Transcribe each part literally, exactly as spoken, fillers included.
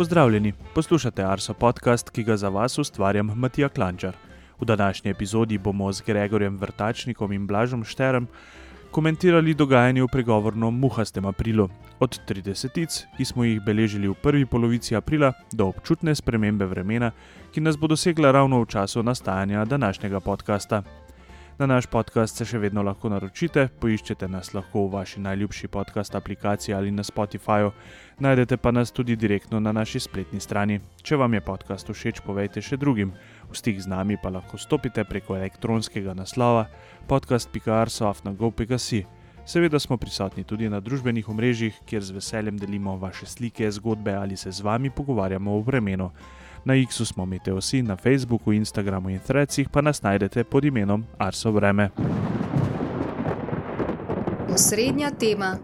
Pozdravljeni, poslušate Arso podcast, ki ga za vas ustvarjam Matija Klančar. V današnji epizodi bomo z Gregorjem Vrtačnikom in Blažom Šterem komentirali dogajanje v pregovorno muhastem aprilu. Od tridesetic, ki smo jih beležili v prvi polovici aprila, do občutne spremembe vremena, ki nas bo dosegla ravno v času nastajanja današnjega podcasta. Na naš podcast se še vedno lahko naročite, poiščete nas lahko v vaši najljubši podcast aplikaciji ali na Spotifyju, najdete pa nas tudi direktno na naši spletni strani. Če vam je podcast všeč, povejte še drugim. V stik z nami pa lahko stopite preko elektronskega naslova podcast pika arso afna gov pika si. Seveda smo prisotni tudi na družbenih omrežjih, kjer z veseljem delimo vaše slike, zgodbe ali se z vami pogovarjamo o vremenu. Na X-u smo Meteosi, na Facebooku, Instagramu in Threadsih pa nas najdete pod imenom Arso vreme. Osrednja tema.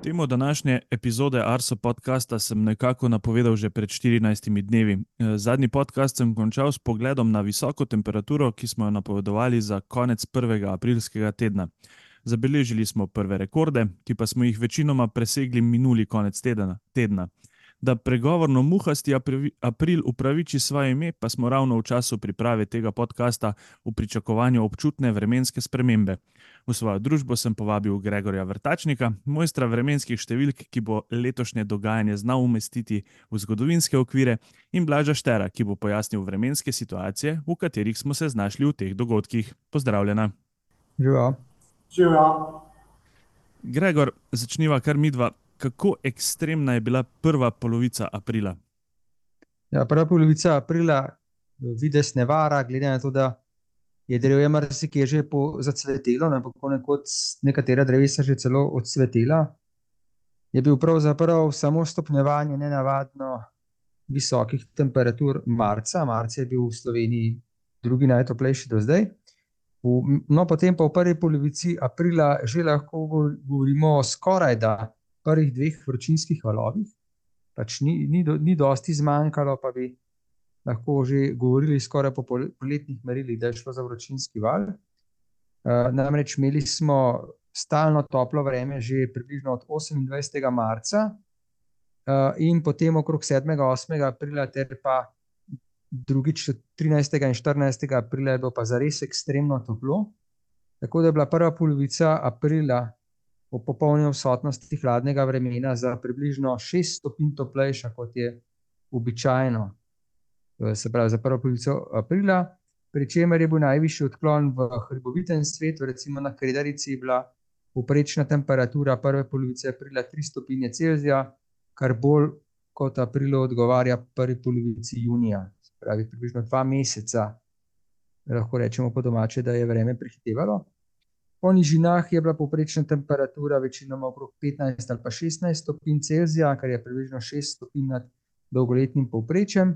Temo današnje epizode Arso podcasta sem nekako napovedal že pred štirinajstimi dnevi. Zadnji podcast sem končal s pogledom na visoko temperaturo, ki smo jo napovedovali za konec prvega aprilskega tedna. Zabeležili smo prve rekorde, ki pa smo jih večinoma presegli minuli konec tedna. tedna. Da pregovorno muhasti april upraviči svoje ime, pa smo ravno v času priprave tega podcasta v pričakovanju občutne vremenske spremembe. V svojo družbo sem povabil Gregorja Vrtačnika, mojstra vremenskih številk, ki bo letošnje dogajanje znal umestiti v zgodovinske okvire, in Blaža Štera, ki bo pojasnil vremenske situacije, v katerih smo se znašli v teh dogodkih. Pozdravljena. Živa. Živa. Gregor, začniva kar midva. Kako ekstremna je bila prva polovica aprila? Ja, prva polovica aprila vides ne vara, glede na to, da je drevje marsikje že zacvetelo, ne, ponekod nekatera drevesa že celo odcvetela. Je bil pravzaprav samo stopnjevanje nenavadno visokih temperatur marca. Marca je bil v Sloveniji drugi najtoplejši do zdaj. V, no, potem pa v prvi polovici aprila že lahko govorimo o skoraj da prvih dveh vročinskih valovih. Pač ni, ni, do, ni dosti zmanjkalo, pa bi lahko že govorili skoraj po poletnih merilih, da je šlo za vročinski val. Uh, namreč imeli smo stalno toplo vreme že približno od osemindvajsetega marca uh, in potem okrog sedmega osmega aprila ter pa drugič trinajstega in štirinajstega aprila je bilo pa zares ekstremno toplo. Tako da je bila prva polovica aprila v popolni odsotnosti hladnega vremena za približno šest stopinj toplejša, kot je običajno, se pravi za prvo polovico aprila, pri čemer je bil najvišji odklon v hribovitem svetu. Recimo na Kredarici je bila povprečna temperatura prve polovice aprila tri stopinje Celzija, kar bolj kot aprilu odgovarja prvi polovici junija, se pravi približno dva meseca, lahko rečemo po domače, da je vreme prehitevalo. Po nižinah je bila povprečna temperatura večinoma okrog petnajst ali pa šestnajst stopinj Celzija, kar je približno šest stopinj nad dolgoletnim povprečjem.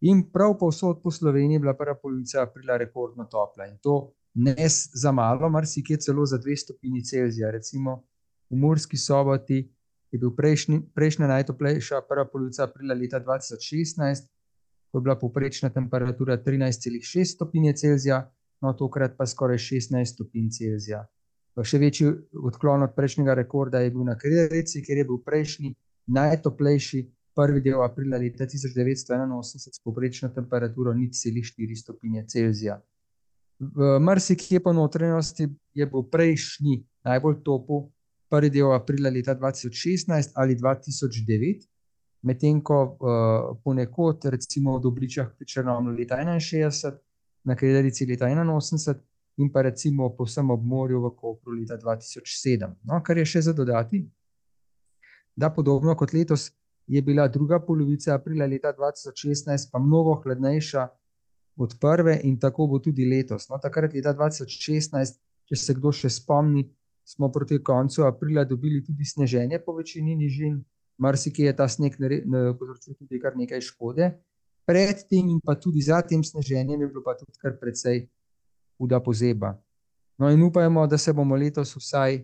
In prav povsod po Sloveniji je bila prva polovica aprila rekordno topla. In to ne za malo, marsikje celo za dve stopinji Celzija. Recimo v Murski Soboti je bil prejšnji, prejšnja najtoplejša prva polovica aprila leta dva tisoč šestnajst, ko je bila povprečna temperatura trinajst celih šest stopinje Celzija, no tokrat pa skoraj šestnajst stopinj Celzija. Še večji odklon od prejšnjega rekorda je bil na Kredarici, kjer je bil prejšnji najtoplejši prvi del aprila leta tisoč devetsto enainosemdeset s povprečno temperaturo nič celih štiri stopinje Celzija. V marsikje po notranjosti je bil prejšnji najbolj topel prvi del aprila leta dva tisoč šestnajst ali dva tisoč devet, medtem ko uh, ponekod, recimo v Dobričah pri Črnomlju leta enainšestdeset, na Kredarici leta enainosemdeset in pa recimo povsem ob morju v Kopru leta dva tisoč sedem. No, kar je še za dodati, da podobno kot letos je bila druga polovica aprila leta dva tisoč šestnajst pa mnogo hladnejša od prve in tako bo tudi letos. No, takrat leta dva tisoč šestnajst, če se kdo še spomni, smo proti koncu aprila dobili tudi sneženje po večini nižin. Marsikje je ta sneg povzročil tudi kar nekaj škode. Pred tem in pa tudi za tem sneženjem je bilo pa tudi kar precej huda pozeba. No in upajmo, da se bomo letos vsaj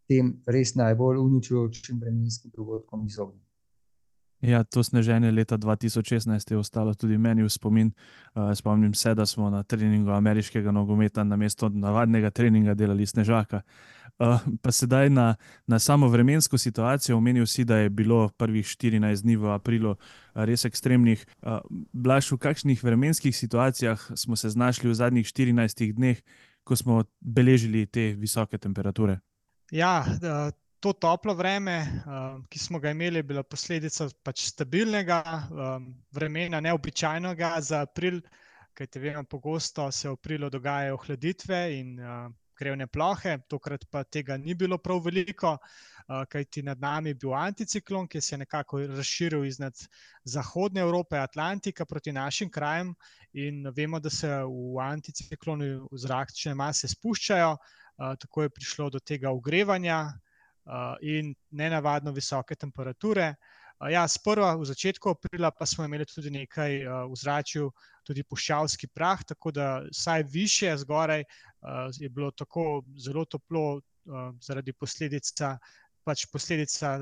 tem res najbolj uničujočim vremenskim dogodkom izognili. Ja, to sneženje leta dva tisoč šestnajst je ostalo tudi meni v spomin. Uh, spomnim se, da smo na treningu ameriškega nogometa namesto navadnega treninga delali snežaka. Uh, pa sedaj na, na samo vremensko situacijo. Omenil si, da je bilo prvih štirinajst dni v aprilu uh, res ekstremnih. Uh, Blaž, v kakšnih vremenskih situacijah smo se znašli v zadnjih štirinajstih dneh, ko smo beležili te visoke temperature? Ja, uh... To toplo vreme, ki smo ga imeli, je bila posledica pač stabilnega vremena, neobičajnega za april, kajti vemo, pogosto se v aprilu dogajajo ohladitve in krevne plohe, tokrat pa tega ni bilo prav veliko, kajti nad nami je bil anticiklon, ki se je nekako razširil iznad zahodne Evrope, Atlantika proti našim krajem, in vemo, da se v anticiklonu zračne mase spuščajo, tako je prišlo do tega ogrevanja in nenavadno visoke temperature. Ja, sprva v začetku aprila pa smo imeli tudi nekaj v zračju, tudi puščavski prah, tako da vsaj višje zgoraj je bilo tako zelo toplo zaradi posledica, pač posledica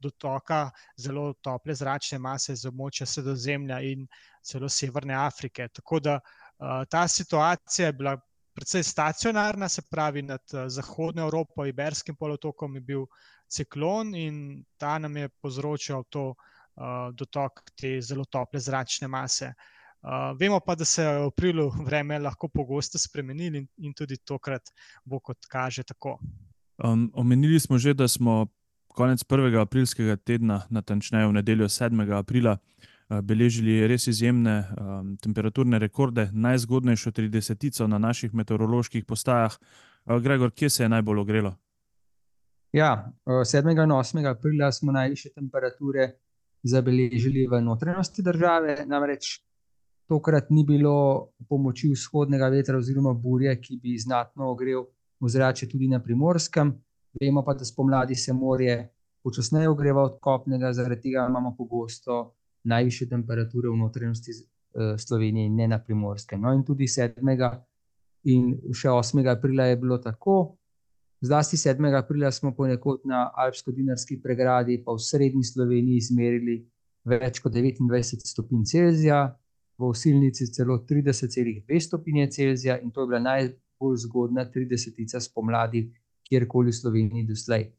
dotoka zelo tople zračne mase z območja Sredozemlja in celo Severne Afrike. Tako da ta situacija je bila predvsej stacionarna, se pravi nad zahodno Evropo, Iberskim polotokom je bil ciklon in ta nam je povzročal to uh, dotok te zelo tople zračne mase. Uh, vemo pa, da se v aprilu vreme lahko pogosto spremenili in, in tudi tokrat bo, kot kaže, tako. Um, omenili smo že, da smo konec prvega aprilskega tedna, natančneje v nedeljo sedmega aprila, beležili res izjemne um, temperaturne rekorde, najzgodnejšo tridesetico na naših meteoroloških postajah. Uh, Gregor, kje se je najbolj ogrelo? Ja, sedmega in osmega aprila smo najvišje temperature zabeležili v notranjosti države, namreč tokrat ni bilo pomoči vzhodnega vetra oziroma burje, ki bi znatno ogrel ozračje tudi na Primorskem. Vemo pa, da spomladi se morje počasneje ogreva od kopnega, zaradi tega imamo pogosto najvišje temperature v notranjosti Slovenije in ne na Primorskem. No in tudi sedmega in še osmega aprila je bilo tako. Zlasti sedmega aprila smo ponekod na Alpsko-Dinarski pregradi pa v srednji Sloveniji izmerili več kot devetindvajset stopinj Celzija, v Osilnici celo trideset celih dve stopinje Celzija in to je bila najbolj zgodna tridesetica spomladi kjerkoli v Sloveniji doslej.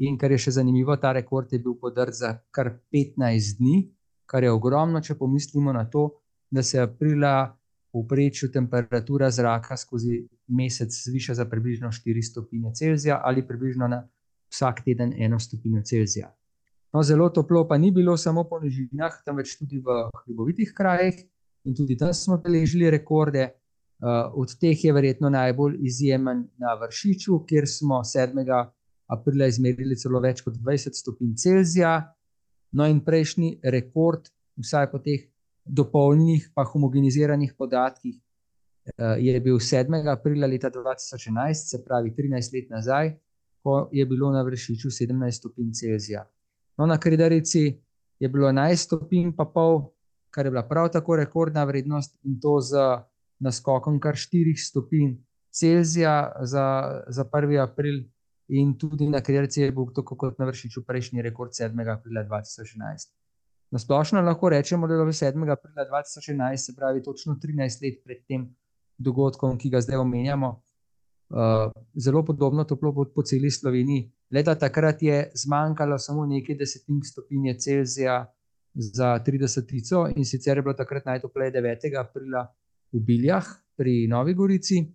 In kar je še zanimivo, ta rekord je bil podrt za kar petnajst dni, kar je ogromno, če pomislimo na to, da se aprila v povprečju temperatura zraka skozi mesec zviša za približno štiri stopinje Celzija ali približno na vsak teden eno stopinjo Celzija. No, zelo toplo pa ni bilo samo po nižinah, temveč tudi v hribovitih krajih in tudi tam smo beležili rekorde. Od teh je verjetno najbolj izjemen na Vršiču, kjer smo sedmega aprila izmerili celo več kot dvajset stopinj Celzija. No in prejšnji rekord, vsaj po teh dopolnjenih pa homogeniziranih podatkih, je bil sedmega aprila leta dva tisoč enajst, se pravi trinajst let nazaj, ko je bilo na Vršiču sedemnajst stopinj Celzija. No, na Kredarici je bilo enajst stopinj pa pol, kar je bila prav tako rekordna vrednost in to z naskokom kar štirih stopinj Celzija za, za prvi april. In tudi na Kredarici je bil tako kot na Vršiču prejšnji rekord sedmega aprila dva tisoč enajst. Na splošno lahko rečemo, da je bilo sedmega aprila dva tisoč enajst, se pravi točno trinajst let pred tem dogodkom, ki ga zdaj omenjamo, uh, zelo podobno toplo po celi Sloveniji. Leta takrat je zmanjkalo samo nekaj desetink stopinje Celzija za tridesetico in sicer je bilo takrat najtopleje devetega aprila v Biljah pri Novi Gorici.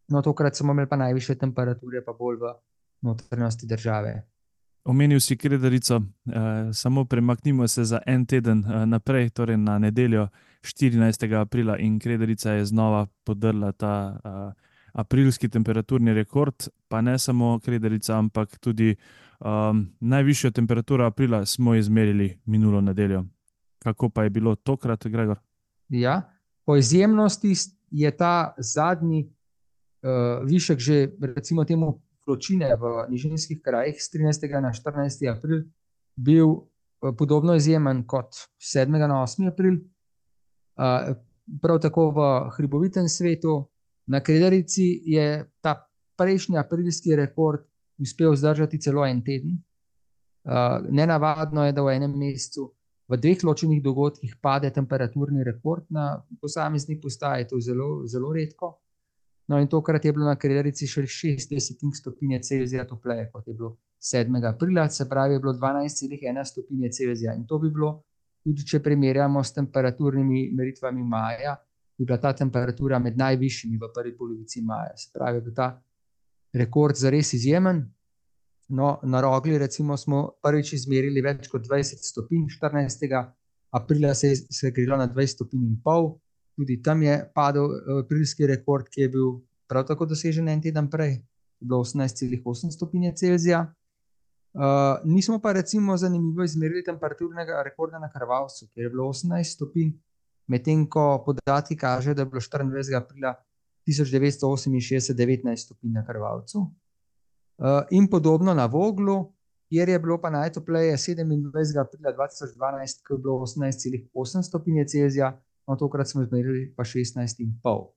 No, tokrat smo imeli pa najvišje temperature pa bolj v notranjosti države. Omenil si Kredarico, eh, samo premaknimo se za en teden eh, naprej, torej na nedeljo štirinajstega aprila in Kredarica je znova podrla ta eh, aprilski temperaturni rekord, pa ne samo Kredarica, ampak tudi um, najvišjo temperaturo aprila smo izmerili minulo nedeljo. Kako pa je bilo tokrat, Gregor? Ja, po izjemnosti je ta zadnji uh, višek že recimo temu vročine v nižinskih krajih s trinajstega na štirinajsti april bil podobno izjemen kot sedmega na osmi april. Prav tako v hribovitem svetu. Na Kredarici je ta prejšnji aprilski rekord uspel zdržati celo en teden. Nenavadno je, da v enem mesecu v dveh ločenih dogodkih pade temperaturni rekord na posamezni postaji, to je zelo, zelo redko. No, in tokrat je bilo na Kredarici še šest desetink stopinje Celzija topleje, kot je bilo sedmega aprila, se pravi, je bilo dvanajst celih ena stopinje Celzija. In to bi bilo, tudi če primerjamo s temperaturnimi meritvami maja, bi bila ta temperatura med najvišjimi v prvi polovici maja. Se pravi, je bil ta rekord zares izjemen. No, na Rogli recimo smo prvič izmerili več kot dvajset stopinj, štirinajstega aprila se je segrelo na dvajset stopinj in pol. Tudi tam je padel aprilski rekord, ki je bil prav tako dosežen en teden prej. Je bilo osemnajst celih osem stopinje Celzija. Uh, nismo pa recimo zanimivo izmerili temperaturnega rekorda na Krvavcu, kjer je bilo osemnajst stopinj, medtem ko podatki kažejo, da je bilo štiriindvajsetega aprila tisoč devetsto oseminšestdeset devetnajst stopinj na Krvavcu. Uh, in podobno na Voglu, kjer je bilo pa najtopleje sedemindvajsetega aprila dva tisoč dvanajst, ko je bilo osemnajst celih osem stopinje Celzija, no tokrat smo izmerili pa šestnajst in pol.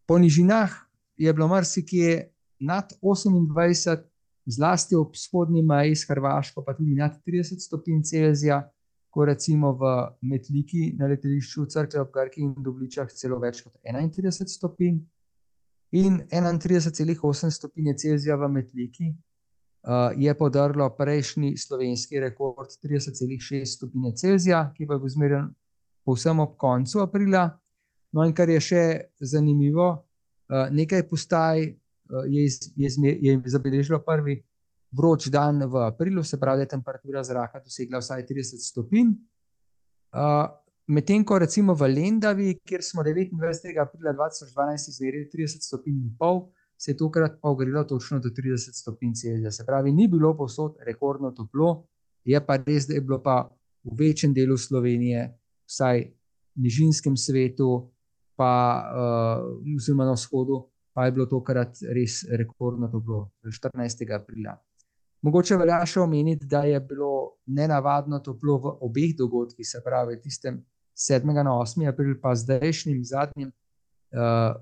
Po nižinah je bilo marsikje nad osemindvajset, zlasti ob vzhodni meji s Hrvaško, pa tudi nad trideset stopinj Celzija, ko recimo v Metliki na letališču Cerklje ob Krki in Dobličah celo več kot enaintrideset stopinj. In enaintrideset celih osem stopinje Celzija v Metliki uh, je podrlo prejšnji slovenski rekord trideset celih šest stopinje Celzija, ki pa je bil izmerjen povsem ob koncu aprila. No in kar je še zanimivo, uh, nekaj postaj uh, je, iz, je, izmer, je zabeležilo prvi vroč dan v aprilu, se pravi, da je temperatura zraka dosegla vsaj trideset stopinj. Uh, Medtem ko recimo v Lendavi, kjer smo devetindvajsetega aprila dva tisoč dvanajst izmerili trideset stopinj in pol, se je tokrat pa ogrelo točno do trideset stopinj Celzija. Se pravi, ni bilo povsod rekordno toplo, je pa res, da je bilo pa v večjem delu Slovenije, vsaj v nižinskem svetu, pa uh, oziroma na vzhodu, pa je bilo tokrat res rekordno toplo, štirinajstega aprila. Mogoče velja še omeniti, da je bilo nenavadno toplo v obeh dogodkih, se pravi, tistem sedmega na osmi april, pa zdajšnjim zadnjim, uh,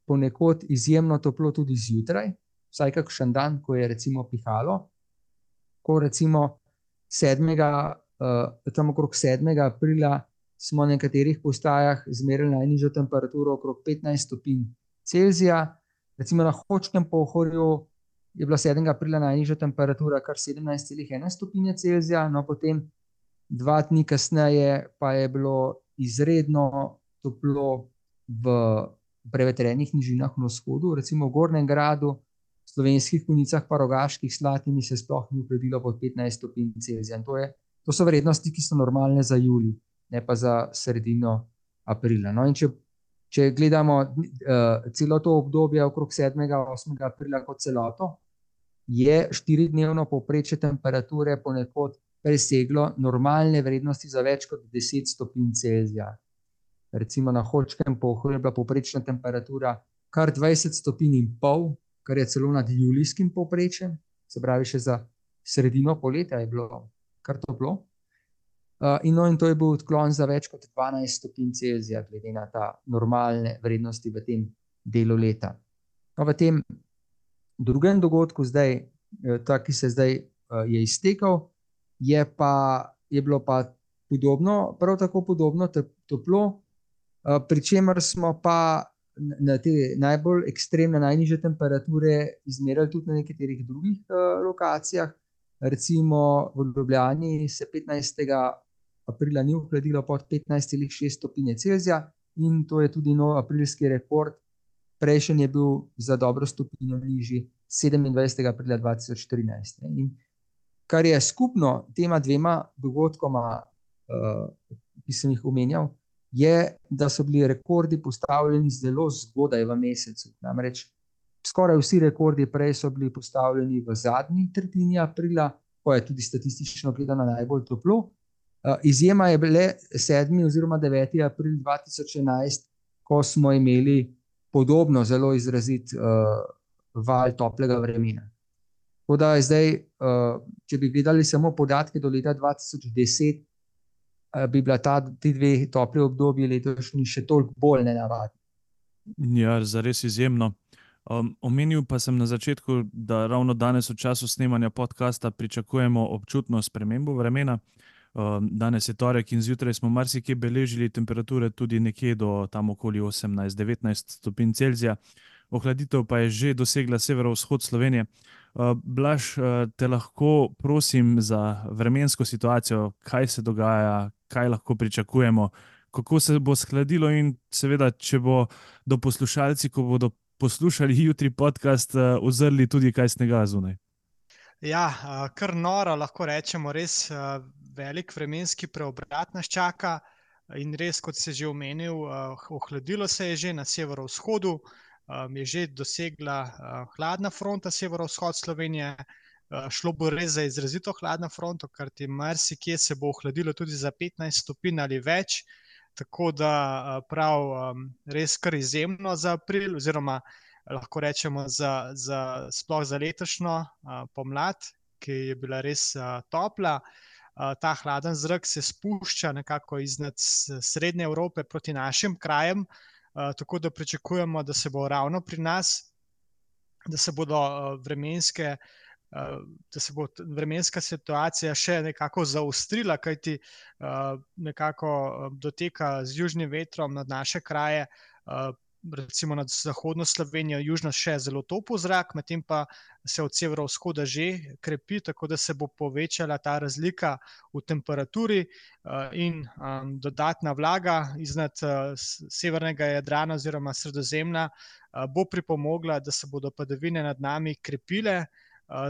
ponekod izjemno toplo tudi zjutraj, vsaj kakšen dan, ko je recimo pihalo, ko recimo sedmega, uh, tam okrog sedmega aprila smo na nekaterih postajah izmerili najnižjo temperaturo okrog petnajst stopinj Celzija, recimo na Hočkem pohorju je bila sedmega aprila najnižja temperatura kar sedemnajst celih ena stopinje Celzija, no potem dva dni kasneje pa je bilo izredno toplo v prevetrenih nižinah na vzhodu, recimo v Gornjem Gradu, v Slovenskih Konjicah pa Rogaških Slatini se sploh ni ohladilo pod petnajst stopinj Celzija. In to, je, to so vrednosti, ki so normalne za julij, ne pa za sredino aprila. No in če, če gledamo uh, celo to obdobje okrog sedmega osmega aprila kot celoto, je štiridnevno povprečje temperature ponekod preseglo normalne vrednosti za več kot deset stopinj Celzija. Recimo na Hočkem pohorju je bila povprečna temperatura kar dvajset stopinj in pol, kar je celo nad julijskim povprečjem, se pravi še za sredino poletja je bilo kar toplo. Uh, in, no, in to je bil odklon za več kot dvanajst stopinj Celzija, glede na ta normalne vrednosti v tem delu leta. No, v tem drugem dogodku, zdaj, ta, ki se zdaj uh, je iztekel, je, pa, je bilo pa podobno, prav tako podobno toplo, uh, pri čemer smo pa na te najbolj ekstremne, najnižje temperature izmerili tudi na nekaterih drugih uh, lokacijah. Recimo v Ljubljani se petnajstega aprila ni ohladilo pod petnajst celih šest stopinje Celzija in to je tudi nov aprilski rekord. Prejšnji je bil za dobro stopinjo nižji sedemindvajsetega aprila dva tisoč trinajst. In kar je skupno tema dvema dogodkoma, uh, ki sem jih omenjal, je, da so bili rekordi postavljeni zelo zgodaj v mesecu. Namreč skoraj vsi rekordi prej so bili postavljeni v zadnji tretjini aprila, ko je tudi statistično gledano najbolj toplo. Uh, izjema je bile sedmi oziroma deveti april dva tisoč enajst, ko smo imeli podobno zelo izrazit uh, val toplega vremena. Tako da zdaj, uh, če bi gledali samo podatke do leta dva tisoč deset, uh, bi bila ta, ti dve topli obdobji letošnji še toliko bolj nenavadni. Ja, zares izjemno. Um, omenil pa sem na začetku, da ravno danes v času snemanja podcasta pričakujemo občutno spremembo vremena. Danes je torek in zjutraj smo marsikje beležili temperature tudi nekje do tam okoli osemnajst do devetnajst stopinj Celzija. Ohladitev pa je že dosegla severovzhod Slovenije. Blaž, te lahko prosim za vremensko situacijo, kaj se dogaja, kaj lahko pričakujemo, kako se bo shladilo in seveda, če bo do poslušalci, ko bodo poslušali jutri podcast, uzrli tudi kaj snega zunaj. Ja, kar noro, lahko rečemo, res velik vremenski preobrat nas čaka in res, kot si že omenil, ohladilo se je že na severovzhodu, je že dosegla hladna fronta severovzhod Slovenije, šlo bo res za izrazito hladno fronto, ker ti marsikje se bo ohladilo tudi za petnajst stopinj ali več, tako da prav res kar izjemno za april oziroma lahko rečemo za, za, sploh za letošnjo pomlad, ki je bila res topla. Ta hladen zrak se spušča nekako iznad srednje Evrope proti našim krajem, tako da pričakujemo, da se bo ravno pri nas, da se bodo vremenske, da se bo vremenska situacija še nekako zaostrila, kajti nekako doteka z južnim vetrom nad naše kraje, recimo nad zahodno Slovenijo, južno še zelo topel zrak, medtem pa se od severovzhoda že krepi, tako da se bo povečala ta razlika v temperaturi in dodatna vlaga iznad severnega Jadrana oziroma Sredozemlja bo pripomogla, da se bodo padavine nad nami krepile,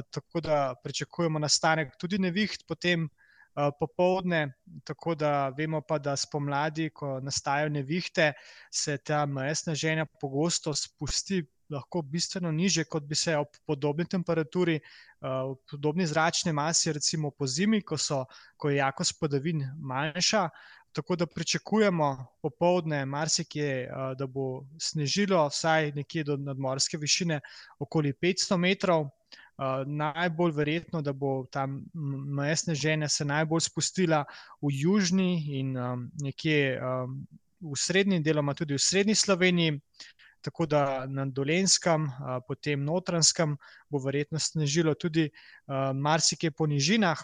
tako da pričakujemo nastanek tudi neviht potem popoldne, tako da vemo pa, da spomladi, ko nastajajo nevihte, se ta meja sneženja pogosto spusti lahko bistveno nižje, kot bi se ob podobni temperaturi, ob podobni zračni masi, recimo po zimi, ko, so, ko je jakost padavin manjša, tako da pričakujemo popoldne marsikje, da bo snežilo vsaj nekje do nadmorske višine okoli petsto metrov. Uh, najbolj verjetno, da bo tam meja sneženja se najbolj spustila v južni in um, nekje um, v srednji, deloma tudi v srednji Sloveniji, tako da na Dolenjskem, uh, potem Notranjskem bo verjetno snežilo tudi uh, marsikje po nižinah.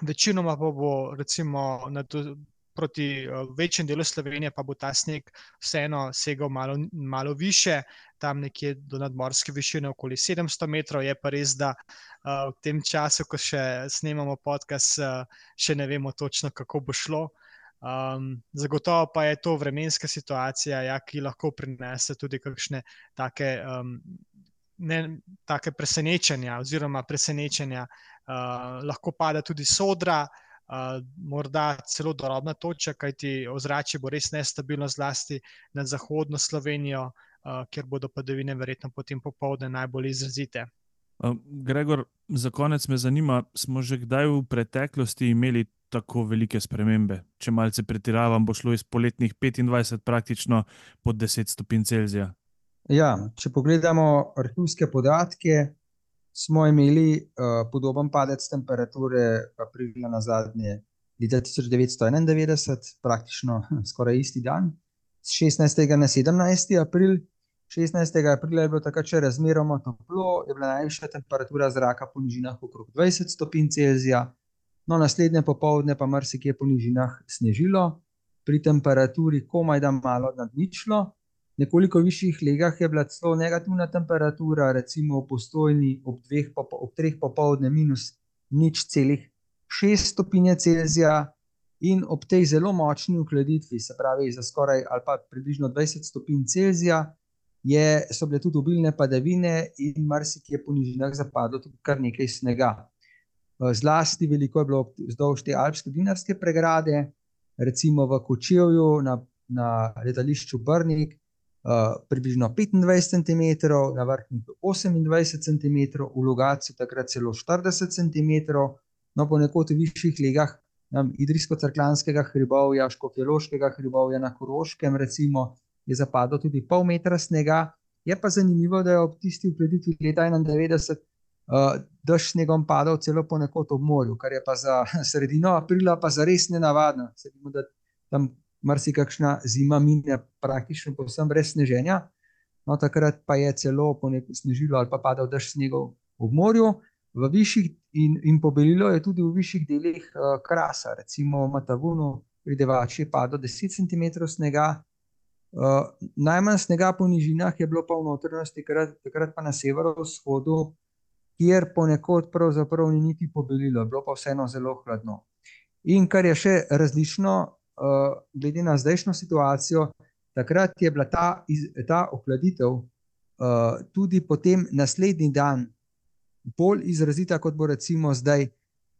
Večinoma pa bo recimo na do, proti uh, večjem delu Slovenije pa bo ta sneg vseeno segal malo, malo više, tam nekje do nadmorske višine okoli sedemsto metrov, je pa res, da uh, v tem času, ko še snemamo podcast, uh, še ne vemo točno, kako bo šlo. Um, zagotovo pa je to vremenska situacija, ja, ki lahko prinese tudi kakšne take, um, ne, take presenečenja oziroma presenečenja. Uh, lahko pada tudi sodra, Uh, morda celo dorobna toča, kajti ozračje bo res nestabilno zlasti nad zahodno Slovenijo, uh, kjer bodo padavine verjetno potem popoldne najbolj izrazite. Uh, Gregor, za konec me zanima, smo že kdaj v preteklosti imeli tako velike spremembe? Če malce pretiravam, bo šlo iz poletnih petindvajset praktično pod deset stopinj Celzija. Ja, če pogledamo arhivske podatke, smo imeli uh, podoben padec temperature aprila na zadnje leta tisoč devetsto enaindevetdeset, praktično skoraj isti dan, z šestnajstega na sedemnajsti april. šestnajstega aprila je bilo takrat še razmeroma toplo, je bila najvišja temperatura zraka po nižinah okrog dvajset stopinj Celzija, no naslednje popoldne pa marsikje po nižinah snežilo, pri temperaturi komaj da malo nad ničlo. Nekoliko višjih legah je bila celo negativna temperatura, recimo v Postojni ob, dveh, ob treh popoldne minus nič celih šest stopinje Celzija in ob tej zelo močni ohladitvi, se pravi za skoraj ali pa približno dvajset stopinj Celzija, je, so bile tudi obilne padavine in marsikje po nižinah zapadlo tudi kar nekaj snega. Zlasti veliko je bilo vzdolž te alpske dinarske pregrade, recimo v Kočevju na, na letališču Brnik, Uh, približno petindvajset centimetrov, na Vrhniki osemindvajset centimetrov, v Logatcu takrat celo štirideset centimetrov, no ponekod v višjih legah Idrijsko-Cerkljanskega hribovja, Škofjeloškega hribovja na Koroškem recimo je zapadlo tudi pol metra snega. Je pa zanimivo, da je ob tisti ohladitvi leta enaindevetdeset uh, dež snegom padal celo ponekod ob morju, kar je pa za sredino aprila pa zares nenavadno. Se vemo, da tam marsikakšna zima mine praktično povsem brez sneženja, no takrat pa je celo ponekod snežilo ali pa padal dež snegov ob morju. v višjih in, in pobelilo je tudi v višjih delih uh, Krasa, recimo v Matavunu, pri Devači je padlo deset centimetrov snega. Uh, najmanj snega po nižinah je bilo pa v notranjosti, takrat, takrat pa na severovzhodu, kjer ponekod pravzaprav ni niti pobelilo, je bilo pa vseeno zelo hladno. In kar je še različno, uh, glede na zdajšnjo situacijo, takrat je bila ta, iz, ta ohladitev uh, tudi potem naslednji dan bolj izrazita, kot bo recimo zdaj,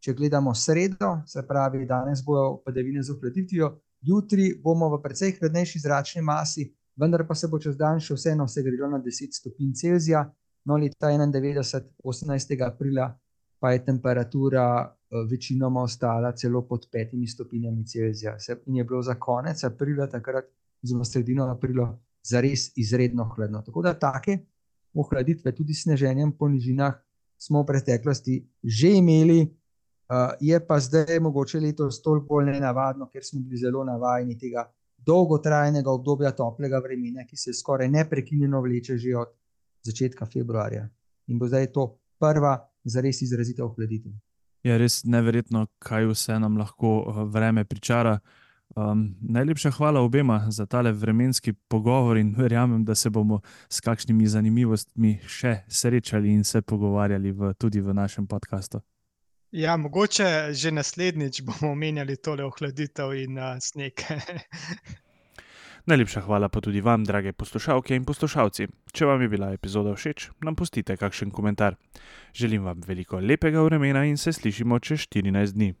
če gledamo sredo, se pravi, danes bojo padavine z ohladitvijo, jutri bomo v precej hladnejši zračni masi, vendar pa se bo čez dan še vseeno segrelo na deset stopinj Celzija. No, leta enaindevetdeset, osemnajstega aprila, pa je temperatura uh, večinoma ostala celo pod petimi stopinjami Celzija. In je bilo za konec aprila, takrat oziroma sredino aprila, zares izredno hladno. Tako da take ohladitve, tudi s sneženjem po nižinah, smo v preteklosti že imeli, uh, je pa zdaj mogoče letos toliko bolj nenavadno, ker smo bili zelo navajeni tega dolgotrajnega obdobja toplega vremena, ki se skoraj neprekinjeno vleče že od začetka februarja. In bo zdaj to prva zares izrazita ohladitev. Je res neverjetno, kaj vse nam lahko vreme pričara. Um, najlepša hvala obema za tale vremenski pogovor in verjamem, da se bomo s kakšnimi zanimivostmi še srečali in se pogovarjali v, tudi v našem podcastu. Ja, mogoče že naslednjič bomo omenjali tole ohladitev in uh, sneg. Najlepša hvala pa tudi vam, drage poslušalke in poslušalci. Če vam je bila epizoda všeč, nam pustite kakšen komentar. Želim vam veliko lepega vremena in se slišimo čez štirinajst dni.